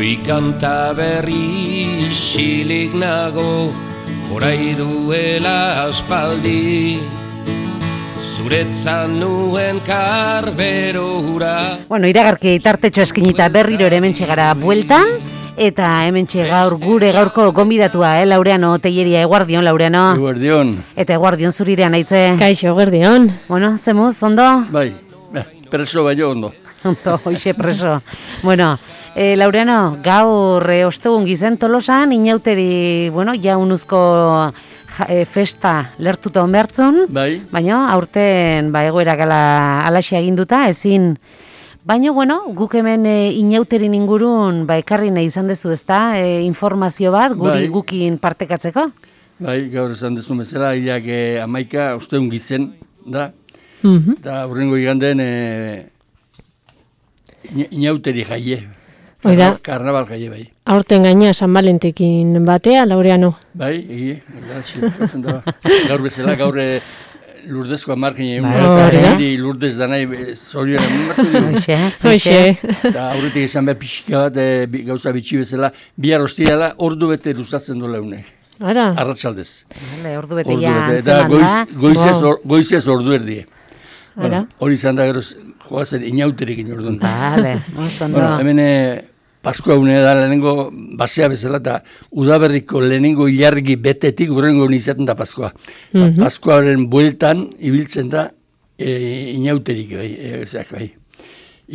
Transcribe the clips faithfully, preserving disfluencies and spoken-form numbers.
Goi kanta berri silik nago, orai duela aspaldi, zuretzan nuen karbero hura. Bueno, iragarki tartetxo eskinita berriro ere hementxe gara bueltan, eta hementxe gaur gure gaurko gonbidatua, eh, Laureano Telleria. Eguardion, Laureano. Eguardion. Eta eguardion zurirean aitze. Kaixo, eguardion. Bueno, zemuz, ondo? Bai, preso bai ondo. Ondo, hoxe preso. Bueno, eh, Laureano, gaur eh, ostegun gizen Tolosan, inauteri, bueno, jaunuzko e, festa lertuta onbertzun, bai. Baina aurten ba, egoerak ala, alaxia eginduta, ezin. Baina, bueno, guk hemen e, inauterin ingurun ba, ekarri nahi izan dezu, ezta? E, informazio bat, guri bai. Gukin partekatzeko? Bai, gaur esan dezu bezala, hilak e, amaika ostegun gizen, da? Mhm. Eta hurrengo iganden e, inauteri jaie. Oida. Karnabal jaie, bai. Aurten gaina San Valentekin batea, Laureano. Bai, egi, da, gaur bezala, gaur e, Lurdezko amarkin egin, Bai, eta Lurdez da nahi zorion emartu dugu. Hoxe, Hoxe. Eta aurretik izan behar pixika bat, e, bi- gauza bitxi bezala, bihar hostiala ordu bete luzatzen dola unek. Ara. Arratsaldez. Vale, ordu bete Ordu ja bete, eta antzeman goiz, da. goizez, Wow. or, goizez ordu erdie. Ara. Bueno, hori izan da geroz, joazen inauterekin orduan. Vale, oso ondo. Bueno, hemen eh, Paskua une da lehenengo basea bezala, eta udaberriko lehenengo ilargi betetik urrengo izaten da Paskua. Mhm. Paskuaren bueltan ibiltzen da e, inauterik, bai, e, ezak, bai.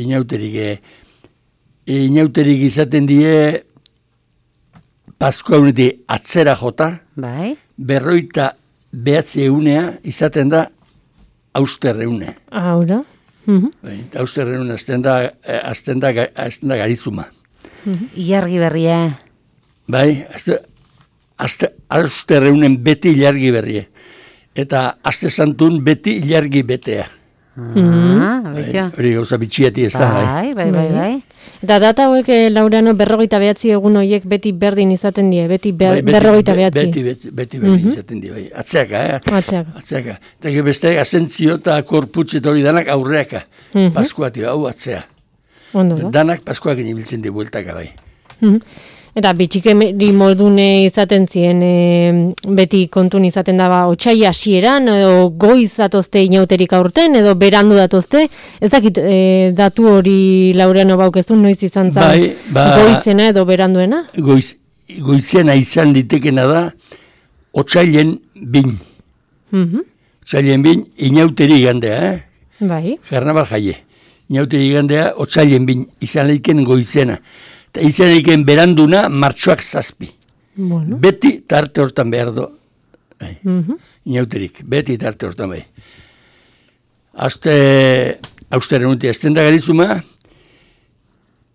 Inauterik, e, e, inauterik izaten die Paskua unetik atzera jota, Bai, berroita behatzi egunea izaten da austerreune. Aura. Mhm. Bai, eta austerreune azten da, eh, azten da, ga- azten da garizuma. ilargi berria. Bai, azte, azte, austerreunen beti ilargi berrie. Eta azte santun beti ilargi betea. Ah, Bai, betio. hori gauza bitxieti ez da, bai. Bai, bai, bai, bai. Eta data hauek, eh, Laureano, berrogeita behatzi egun horiek beti berdin izaten die, beti ber, Bai, beti- berrogeita be- behatzi. Beti, beti, beti, beti izaten di, bai. Atzeaka, eh? Atzeak. Atzeaka. Eta gero beste, asentzio eta korputz eta hori danak aurreaka. Mhm. Paskuati, hau atzea. Ondo da. Danak Paskuakin ibiltzen di bueltaka, bai. Mhm. Eta bitxikeri modune izaten zien, e, beti kontun izaten daba otxai hasieran edo goiz datozte inauterik aurten, edo berandu datozte. Ez dakit e, datu hori Laureano baukezun noiz izan zan Bai, ba- goizena edo beranduena? Goiz, goiziena izan litekena da, otsailen bin. Mhm. Otsailen bin, inauteri igandea, eh? Bai. Karnabal jaie. Inauteri igandea, otsailen bin, izan leiken goizena. Eta izan leiken beranduna, martxoak zazpi. Bueno. Beti tarte hortan behar do. Bai. Mhm. Inauterik, beti tarte hortan bai. Azte, austeren unti, azten da garizuma,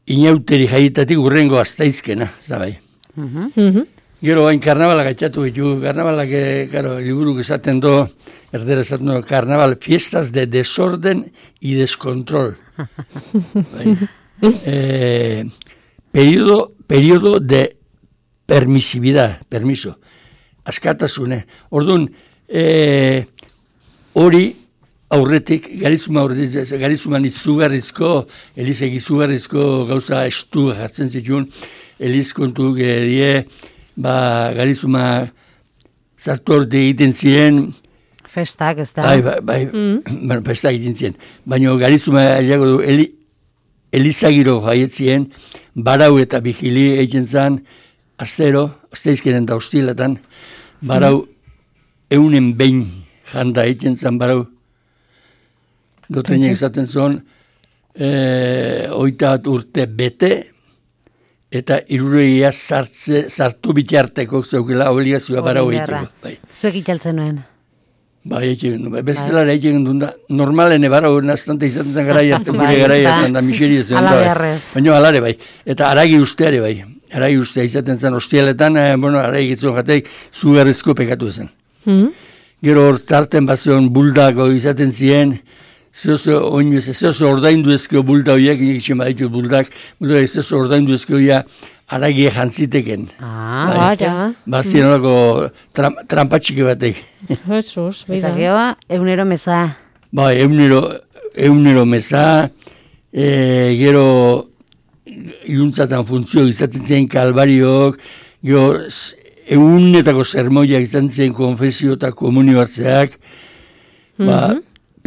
inauteri jaietatik urrengo aztaizkena, ez da bai. Mhm. Mhm. Gero bain karnabalak atxatu ditu, karnabalak, eh, karo, liburuk esaten do, erdera esaten do, karnabal, fiestas de desorden y descontrol. Bai. eh, periodo, periodo de permisividad, permiso, askatasune. Orduan, eh, hori aurretik, garizuma aurretik, garizuman izugarrizko, elizek izugarrizko gauza estu jartzen zituen, eliz kontu die, ba, garizuma zartu aurte egiten ziren, Festak, ez da? bai, bai, bai, bueno, festak egiten ziren, baina garizuma eliago du, eli, elizagiro jaietzien, barau eta bigili egiten zan, astero, asteizkenen da hostiletan, barau eunen behin janda egiten zan barau, dotreinek esaten zuen, e, oita bat urte bete, eta irureia sartze, sartu bitarteko zeukela obligazioa barau Hori beharra. egiteko. Bai, Zuek ikaltzen nuen. bai, egiten du. Bai, bestelara egiten du da. Normalene barau, naztante izaten zen gara jartzen Bai, gure gara ez da. jartzen da miseria zuen. Hala da, bai. beharrez. Baina alare bai. Eta aragi usteare bai. Aragi ustea izaten zen hostialetan, eh, bueno, aragi gitzuen jateik zugarrizko pekatu zen. Mhm. Gero hor zarten bazion buldako izaten ziren, zeozo oinuz, zeozo ordaindu ezkeo bulda horiek, nik itxen baditut buldak, buldak zeozo ordaindu ezkeo ja aragie jantziteken. Ah, Bai. Ara. Bazien horako tram, trampatxike batek. Jesus, eta beida. gero, egunero meza. Bai, eunero, eunero meza, e, gero iluntzatan funtzio izaten ziren kalbariok, gero egunetako sermoiak izan ziren konfesio eta komunio hartzeak, mm-hmm. ba,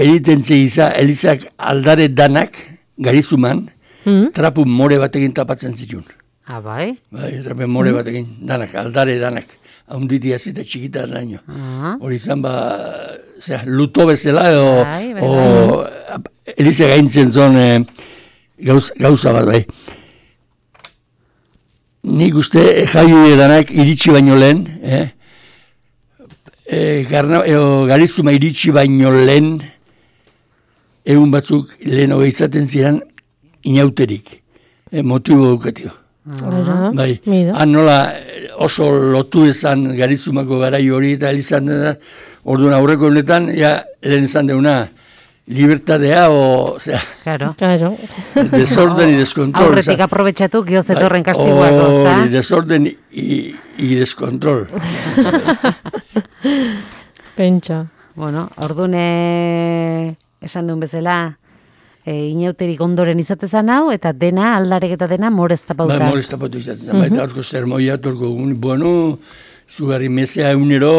penitentzia iza, elizak aldare danak, garizuman, mm-hmm. trapu more batekin tapatzen zituen. Ah, bai? Bai, trapu more mm-hmm. batekin, danak, aldare danak, haunditi azita txikita daño. Uh-huh. Hori izan, ba, zera, luto bezala, edo, bai, bai, o, bai. Eliza gaintzen zon, eh, gauz, gauza bat, bai. Nik uste jaio edanak iritsi baino lehen, eh? E, garna, e, garizuma iritsi baino lehen, egun batzuk lehen hogei izaten ziren inauterik. E, motibo dukatio. Uh-huh. Bai, han nola oso lotu ezan garizumako garai hori eta elizan dena, orduan aurreko honetan, ja, lehen ezan deuna, libertadea o, sea, claro. Claro. Desorden y descontrol. Aurretik aprobetxatu, gio zetorren kastiguako, ezta? Hori, desorden y, y descontrol. Pentsa. Bueno, orduan esan duen bezala, e, inauterik ondoren izatezan hau, eta dena, aldarek eta dena, moreztapauta. Ba, moreztapauta izatzen zen, baita horko sermoia, torko, bueno, zugarri mesea egunero,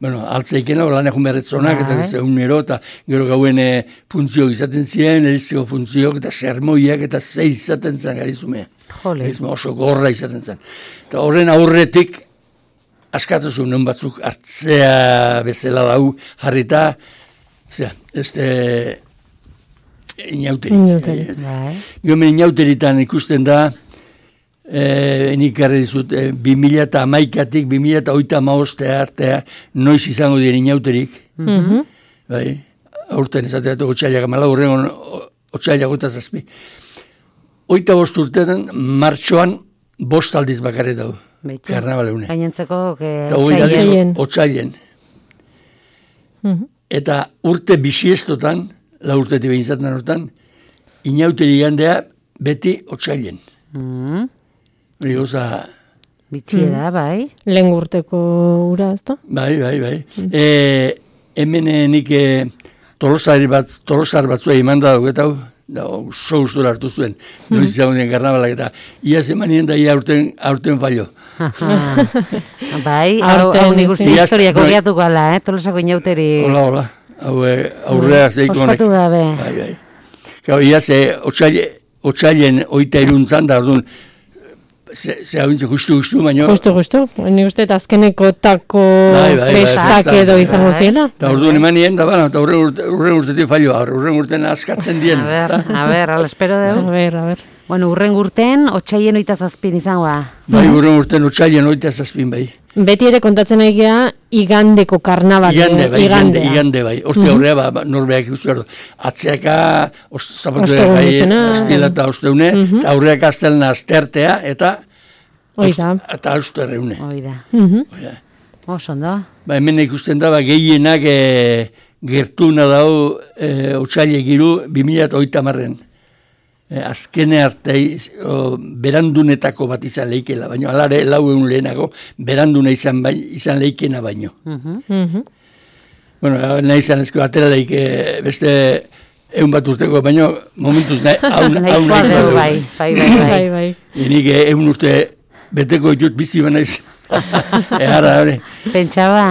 bueno, altzeikena, lan egun berretzonak, eta beste egunero, eta gero gauen e, funtzioak izaten ziren, erizeko funtzioak, eta sermoiak, eta zeiz izaten zen garizumea. Jole. Oso gorra izaten zen. Eta horren aurretik, askatzu non batzuk hartzea bezala dau jarrita, zera, este inauteri. Inauteri. Gero inauteritan ikusten da, Eh, nik garri dizut, eh, bi mila eta hamaikatik, bi mila eta oita maostea artea, noiz izango dira inauterik. Mm-hmm. Bai, aurten ezatea, otxailak amala, horrengon otxailak eta zazpi. Oita bost urtetan, martxoan, bost aldiz bakarri dago. Karnabale une. Gainentzeko, otxailen. Otxailen. Mm-hmm. Eta urte bisiestotan, la urtetik behin zaten hortan, inauteri gandea beti otxailen. Mm-hmm. Hori goza... Bitxia da, bai. Lehen urteko ura, ez da? Bai, bai, bai. Mm. E, hemen nik e, tolosar bat, tolosar batzua eman da dugu, eta da, oso gustora hartu zuen. Mm. Noiz izan dien karnabalak, eta iaz eman nien da ia aurten, aurten fallo. Bai, hau nik uste historiako gehiatuko ala, eh? Tolosako inauteri... Hola, hola. Hau aurreak zeiko honek. Ospatu gabe. Bai, bai. Gau, iaz, otxailen oita iruntzan, da, orduan, Ze, ze hau intze justu-justu, baina... Justu-justu, nik uste eta azkeneko tako bai, bai, festak bai, edo izango bai, ziena. Eta urduan eman nien, da bana, eta urren urte, urtetik fallo, urren urten askatzen dien. A ber, a ber, ala espero dugu. A ber, a ber. Bueno, urren urten, otxaien oita zazpin izango da. Bai, urren urten, otxaien oita zazpin, bai. Beti ere kontatzen egia, igandeko karnabat. Igande, bai, igande, igande, bai. Oste horrea, ba, norbeak ikustu erdo. Atzeaka, zapatuak gai, astila eta osteune, eta aurreak astelna astertea, eta... Oida. Eta auster reune. Oida. Oida. Oso, no? Ba, hemen ikusten da, ba, gehienak e, gertuna dau e, otxaile giru bi mila oita marren. E, azkene arte berandunetako bat izan leikela, baino alare lau egun lehenago beranduna izan, bai, izan leikena baino. Uh-huh. Uh-huh. Bueno, nahi izan ezko atera leik beste egun bat urteko, baino momentuz nahi hau nahi bai, bai, bai, bai, bai. Enik egun urte beteko ditut bizi banaiz. Ehara, hori. Pentsaba.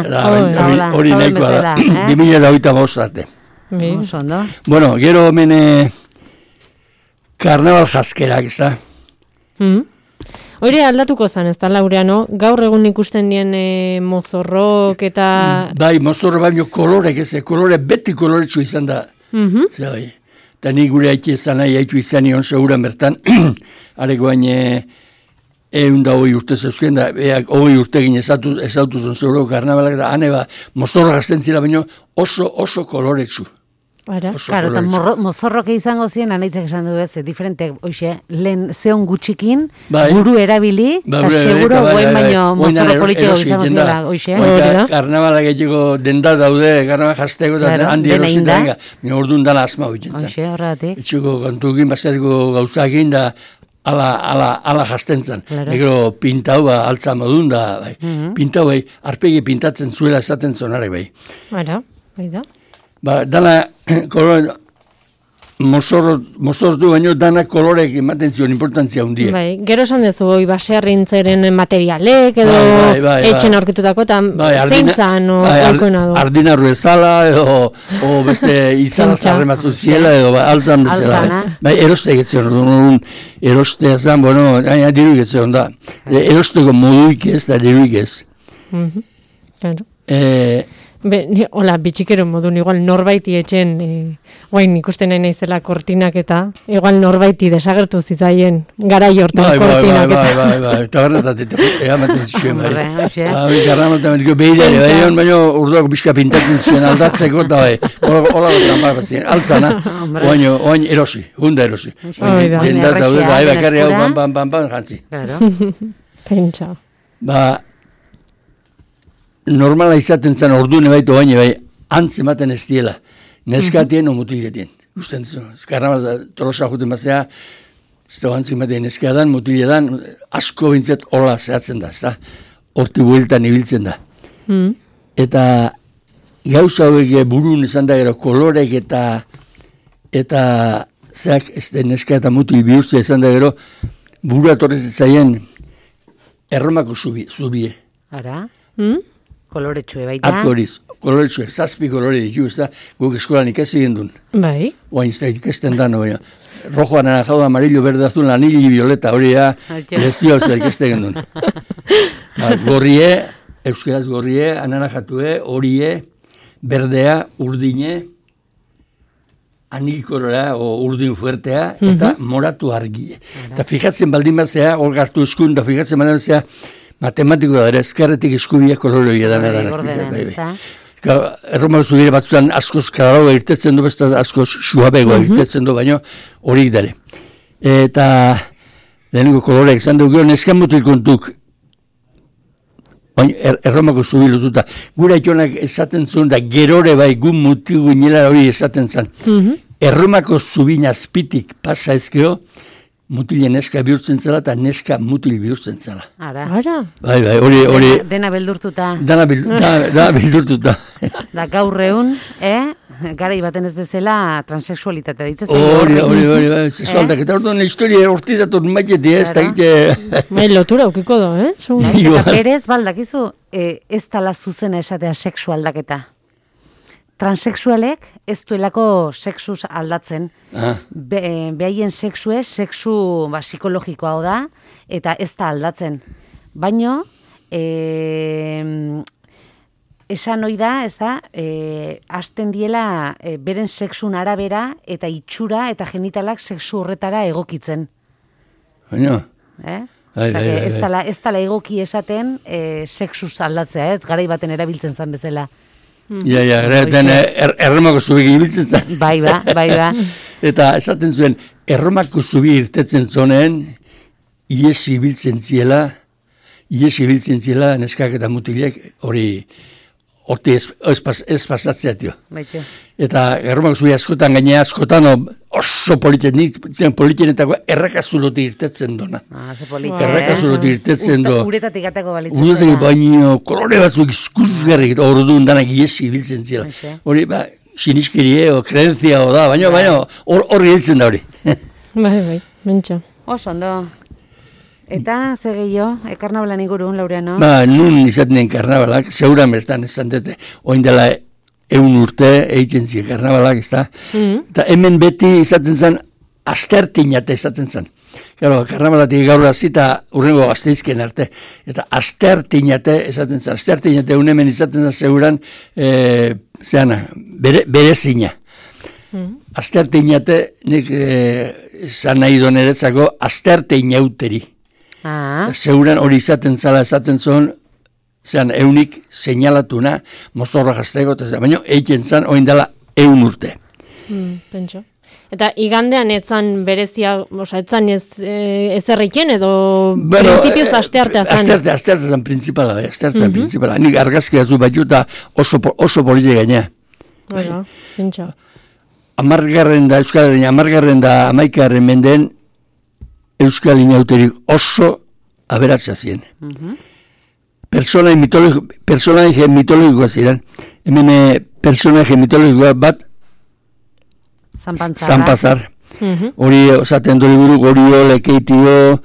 Hori nahikoa da. Bi mila da hoita bost arte. Oso, no? Bueno, gero hemen karnabal jaskerak, ez da? Hori aldatuko zan, ez da, Laureano? Gaur egun ikusten dien mozorrok eta... Bai, mozorro baino kolorek ez, kolore beti koloretsu izan da. Zer, bai. Eta ni gure haiti ezan nahi haitu izan nion seguran bertan, areko bain egun da hoi urte zeuzken, da hoi urtegin ezautu zon zeuroko karnabalak, da hane ba, mozorro gazten zira baino oso, oso koloretsu. Ara, claro, eta mozorroke izango ziren, anaitzak esan du bez, diferente, oixe, lehen zeon gutxikin, bai, buru erabili, eta bai, seguro bai, guen baino mozorro politiko izango ziren, oixe. Oita, karnabalak egiteko denda daude, karnabal jazteko, eta claro, handi erosita enga, mi orduan dana asma hoitzen zen. Oixe, horregatik. Etxuko kontukin, basariko gauzakin, da ala, ala, ala jazten zen. Claro. Egero pintau, ba, altza modun, da, bai. Uh-huh. Pintau, bai, arpegi pintatzen zuela esaten zonare, bai. Ara, bai da. Ba, dala, kolore, mozortu baino danak kolorek ematen zion importantzia hundiek. Bai, gero esan dezu, oi, baserrintzeren materialek, edo bai, bai, bai, etxen bai. aurkitutako, eta Bai, zeintzan, o, bai, oikoena du. Ardinarru ezala, edo o beste izan zarrematzu ziela, edo ba, altzan bezala. Altzana. Bai, eroste egitzen, orduan, erostea zan, bueno, aina diru egitzen da. E, erosteko moduik ez, da diruik ez. Mhm, claro. Eh, Be, ni, hola, bitxikero modun, igual norbaiti etxen, e, guain ikusten nahi naizela kortinak eta, igual norbaiti desagertu zitzaien gara jortan bai, bai, bai, kortinak bai, eta. bai, bai, eta garratatik, eamaten zuen, bai. Hombre, hoxe. Bai, garramaten betiko behidare, bai, egon baino urduak bizka pintatzen zuen aldatzeko, eta bai, hola gotan bai, bazien, altzana, oaino, oain erosi, hunda erosi. Hoi da. Denda eta Erresia, bai, bakarri hau, eskura. pan, pan, pan, pan, jantzi. Claro. Pentsa. Ba, normala izaten zen ordune baitu baina bai, antz ematen ez diela. Neskatien o mutiletien. Gusten zu. Eskarramaz, tolosa juten bazea, ez da antz ematen neskadan, mutiletan, asko bintzat hola zehatzen da, ez da? Horti bueltan ibiltzen da. Mm. Eta gauza hauek burun esan da gero, kolorek eta eta zeak ez da neska eta mutil bihurtzea esan da gero, burua torrez zaien Erromako zubi, zubie. Ara, Mm? koloretxue baita. Arko horiz, koloretxue, zazpi kolore ditu, ez da, guk eskolan ikasi gendun. Bai. Oain ez da ikasten dano, baina. Rojo, anaranjado, amarillo, verde, azul, anillo, violeta, hori da, Aitea. lezio ez da ikasten gendun. Ba, gorrie, euskaraz gorrie, anaranjatue, horie, berdea, urdine, anilkorora, o urdin fuertea, eta moratu argie. Eta fijatzen baldin bazea, hor gartu eskun, eta fijatzen baldin bazea, matematiko da, ere, ezkerretik eskubiak kolore hori edana. Bai, ordenen, ez da. Erromako zubire batzutan askoz karagoa irtetzen du, besta askoz suabegoa irtetzen du, baina hori dare. Eta lehenengo koloreak izan dugu, neskan mutil kontuk, baina er, erromako zubi lututa. Gura itonak esaten zuen, da gerore bai gun mutil guinela hori esaten zen. Erromako zubin azpitik pasa ezkeo, mutilen neska bihurtzen zela eta neska mutil bihurtzen zela. Ara. Ara. Bai, bai, hori, hori, Dena, dena beldurtuta. dana, bil, dana, dana bildurtuta. Da gaur egun, eh? Garai baten ez bezala transexualitatea ditzen. Hori, hori, hori, bai, zesualdak. Eta orduan historia horti dator maitetik, ez da egite... Bai, lotura aukiko do, eh? Segun. Bai, Igual. eta berez, baldakizu, eh, ez tala zuzena esatea sexu aldaketa. Transexualek ez duelako sexuz aldatzen. Ah, Be, eh, behaien sexue, sexu ba, psikologikoa da, eta ez da aldatzen. Baino, eh, esan ohi da, ez da, eh, hasten diela eh, beren sexun arabera eta itxura eta genitalak sexu horretara egokitzen. baina, Eh? Bai, Osea, bai, que bai, ez bai. dala, ez dala egoki esaten eh, sexuz aldatzea, ez garai baten erabiltzen zen bezala. ja, ja, erraten er, erromako zubi ibiltzen zen. Bai ba, bai ba. Eta esaten zuen, erromako zubi irtetzen zonen, ies ibiltzen ziela, ies ibiltzen ziela neskak eta mutilek, hori, horti ez, ez, pas, ez pasatzea, tio. Baite. Eta erromako zubi askotan, gainea askotan, o, oso politen, nik zen politenetako errakazulotik irtetzen dona. Ah, ze polita. Bai. Errakazulotik irtetzen do. Uretatik atako balitzen. Urutetik baino kolore batzuk izkusgarrik eta orduan danak iesi ibiltzen zela. Hoxe. Hori, ba, siniskirie o kreentzia o da, baina, baina, hor hor hiltzen da hori. Bai, bai, mentxa. Oso ondo. Eta, ze gehiago, e, karnabalan ingurun, Laureano? Ba, nun izaten den karnabalak, zeuran bertan esan dute, oin dela eun urte egiten ziren karnabalak, ez da? Eta hemen beti izaten zen, astertinate izaten zen. Claro, karnabalatik gaur hasita urrengo gazteizken arte. Eta astertinate esaten zen, astertinate un hemen izaten zen zeuran, e, zeana, bere, berezina. Astertinate, nik eh, esan nahi doneretzako, astertinauteri. Ah, Eta zeuran hori izaten zala esaten zuen, zean eunik seinalatuna, mozorra jazteko, eta baina eiken zan, oin dela eun urte. Mm, pentsa. Eta igandean etzan berezia, oza, etzan ez, e, ezerriken edo Bueno, printzipioz eh, asteartea zan. Astearte, astearte zan principala, bai, astearte zan principala. Nik argazki batzu batu eta oso, po- oso polite gaina. Bueno, pentsa. Amargarren da, Euskalaren amargarren da amaikagarren menden Euskal inauterik oso aberatsa ziren. Personaje mitologiko, personaje mitologikoa ziren. Hemen eh, personaje mitologikoa bat Zanpazar. Hori osaten du liburu Gorio, Lekeitio,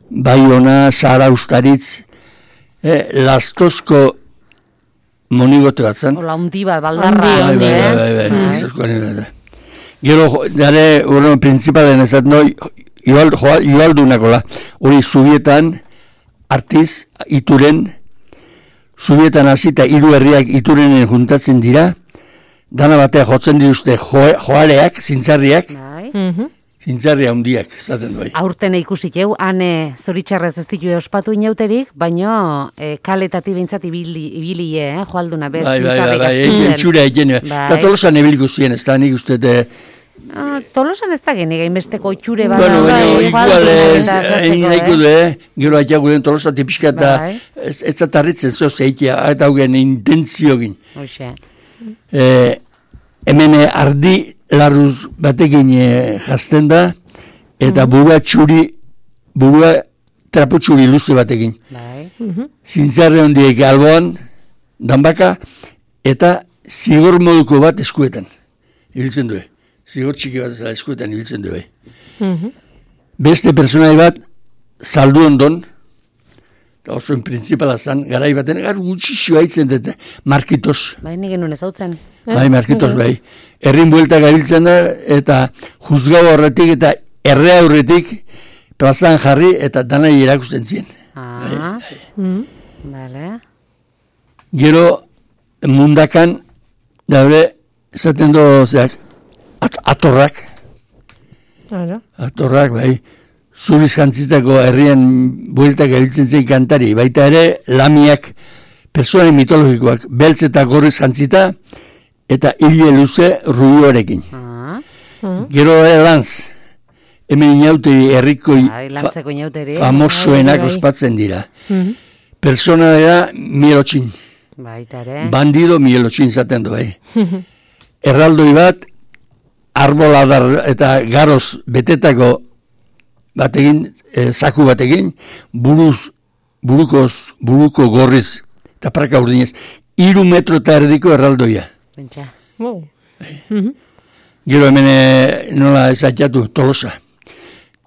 Baiona, Sara Ustaritz, eh, Lastozko monigote bat zen. Ola hundi bat, baldarra. Bai, bai, bai, bai, bai, Lastozko monigote. Gero, dare, bueno, principalen ez no, joaldunakola, hori Zubietan, Artiz, Ituren, Zubietan hasita hiru herriak Iturenen juntatzen dira, dana batea jotzen dituzte jo, joaleak, zintzarriak, zintzarria handiak, zaten duai. Aurten ikusik eu, hane zoritxarrez ez ditu ospatu inauterik, baino e, kaletati bintzat ibili, ibili eh, joalduna bez, bai, bai, zintzarrik bai, astutzen. Txura egin, eta Tolosan ebiliko ziren, ez da nik uste de... Ah, Tolosan ez da genik, hainbesteko itxure bat. Bueno, bueno, igual ez, egin nahiko du, gero haitak guden Tolosa tipizka eta ez zatarritzen zoz eitea, eta haugen intentzio gin. Hoxe. Hemen ardi larruz batekin jazten da, eta burua txuri, burua trapo txuri luze batekin. Zintzarre hondiek alboan, danbaka, eta zigor moduko bat eskuetan. Ibiltzen du. Zigor txiki bat ezala eskuetan ibiltzen du. Beste personai bat, saldu ondon, eta oso en principala zan, garai baten, gar gutxixo haitzen dute, Markitos. Bai, nik genuen ez hau zen. Bai, Markitos, bai. Herrin buelta gabiltzen da, eta juzgau horretik, eta errea horretik, plazan jarri, eta danai erakusten zien. Ah, bale. Gero, mundakan, daure, esaten do, zeak, at, atorrak. Atorrak, bai. Zuriz jantzitako herrian bueltak gabiltzen zen kantari. Baita ere, lamiak, personen mitologikoak, beltz eta gorriz jantzita, eta hile luze ruioarekin. Ah. Gero ere lantz, hemen inauteri herriko fa, famosoenak ospatzen dira. Persona dira Mielotxin. Baita ere. Bandido Mielotxin zaten du, bai. Erraldoi bat, arboladar eta garoz betetako batekin, eh, zaku batekin, buruz, burukoz, buruko gorriz, eta praka urdinez, iru metro eta erdiko erraldoia. Bentsa. Wow. Gero hemen nola esatxatu, Tolosa.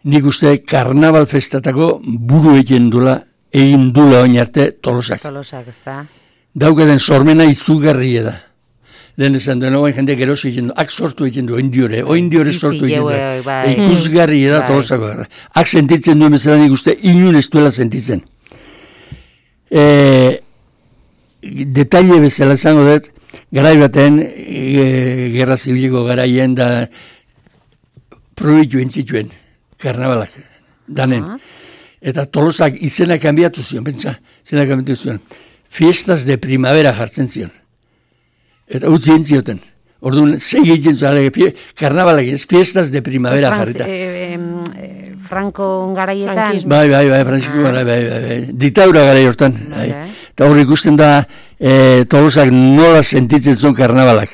Nik uste karnaval festatako buru egin dula, egin dula oin arte Tolosak. Tolosak, ez da. Daukaten sormena izugarri da. Lehen esan duen, oain jende geroso egin du, ak sortu egin du, oindiore, oindiore sortu egin du. Ikusgarri da Tolosako. Ak sentitzen duen bezala nik uste, inun ez duela sentitzen. E, detaile bezala esango dut, garai baten, e, gerra zibiliko garaien da probitu entzituen, karnabalak, danen. Eta Tolosak izena kanbiatu zion, pentsa, izena kanbiatu zion. Fiestas de primavera jartzen zion. Eta utzi entzioten. Orduan, segi egiten zuen, karnabalak ez, fiestas de primavera jarrita. Eh, eh, Franco garaietan. Bai, bai, bai, Francisco ah. bai, bai, bai. Ditaura garai hortan. Bai. Eta hor ikusten da, eh, Tolosak nola sentitzen zuen karnabalak.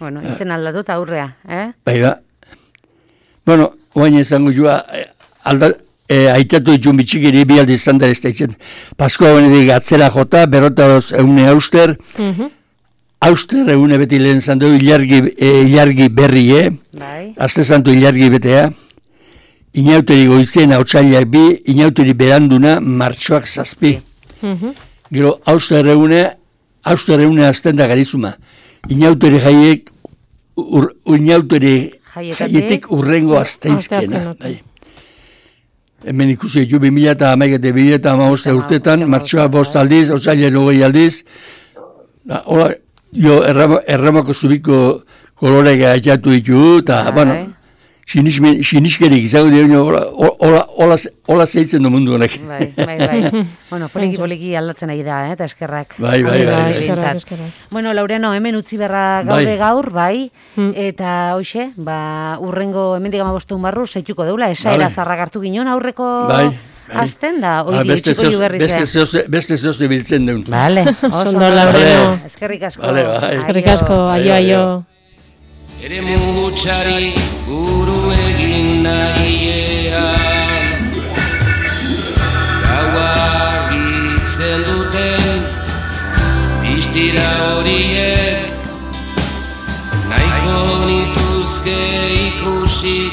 Bueno, izen aldatu aurrea, eh? Bai, ba. Bueno, oain ezango joa, alda, eh, aitatu ditun bitxikiri bi aldi izan da ez da itzen. Paskoa benetik atzera jota, berrotaroz eune auster, mm-hmm. Auster egune beti lehen zandu ilargi, e, ilargi berri, eh? Bai. Azte zantu ilargi betea. Inauteri goizien hautsaileak bi, inauteri beranduna martxoak zazpi. Mm-hmm. Gero, auster egune, auster egune azten da garizuma. Inauteri jaiek, ur, inauteri jaietik urrengo azteizkena. Bai. Hemen ikusi ditu bi mila eta hamaikete bi mila eta hamaboste urtetan, martxoa bost aldiz, hautsaileak hogei aldiz. Hola, jo, erramo, erramako zubiko kolorek aitzatu ditu, eta, bueno, siniskerik izango dira, hola zeitzen du mundu honek. Bai, bai, bai. Bueno, poliki, poliki aldatzen ari da, eh, eta eskerrak. Bai, bai, bai. Eskerrak, eskerrak. Bueno, Laureano, hemen utzi berra gaude gaur, bai, eta hoxe, ba, urrengo, hemen digama bostun barru, zeituko deula, esaera zarrak hartu ginen aurreko... Bai. Azten da, oiri, txiko juberrizea. Beste zoze biltzen duen. Vale, oso ondo, Laureano. Eskerrik asko. Vale, bai. Eskerrik asko, aio, aio. Ere mugutxari buru egin nahiean, gaua argitzen duten pistira horiek, nahiko nituzke nuke ikusi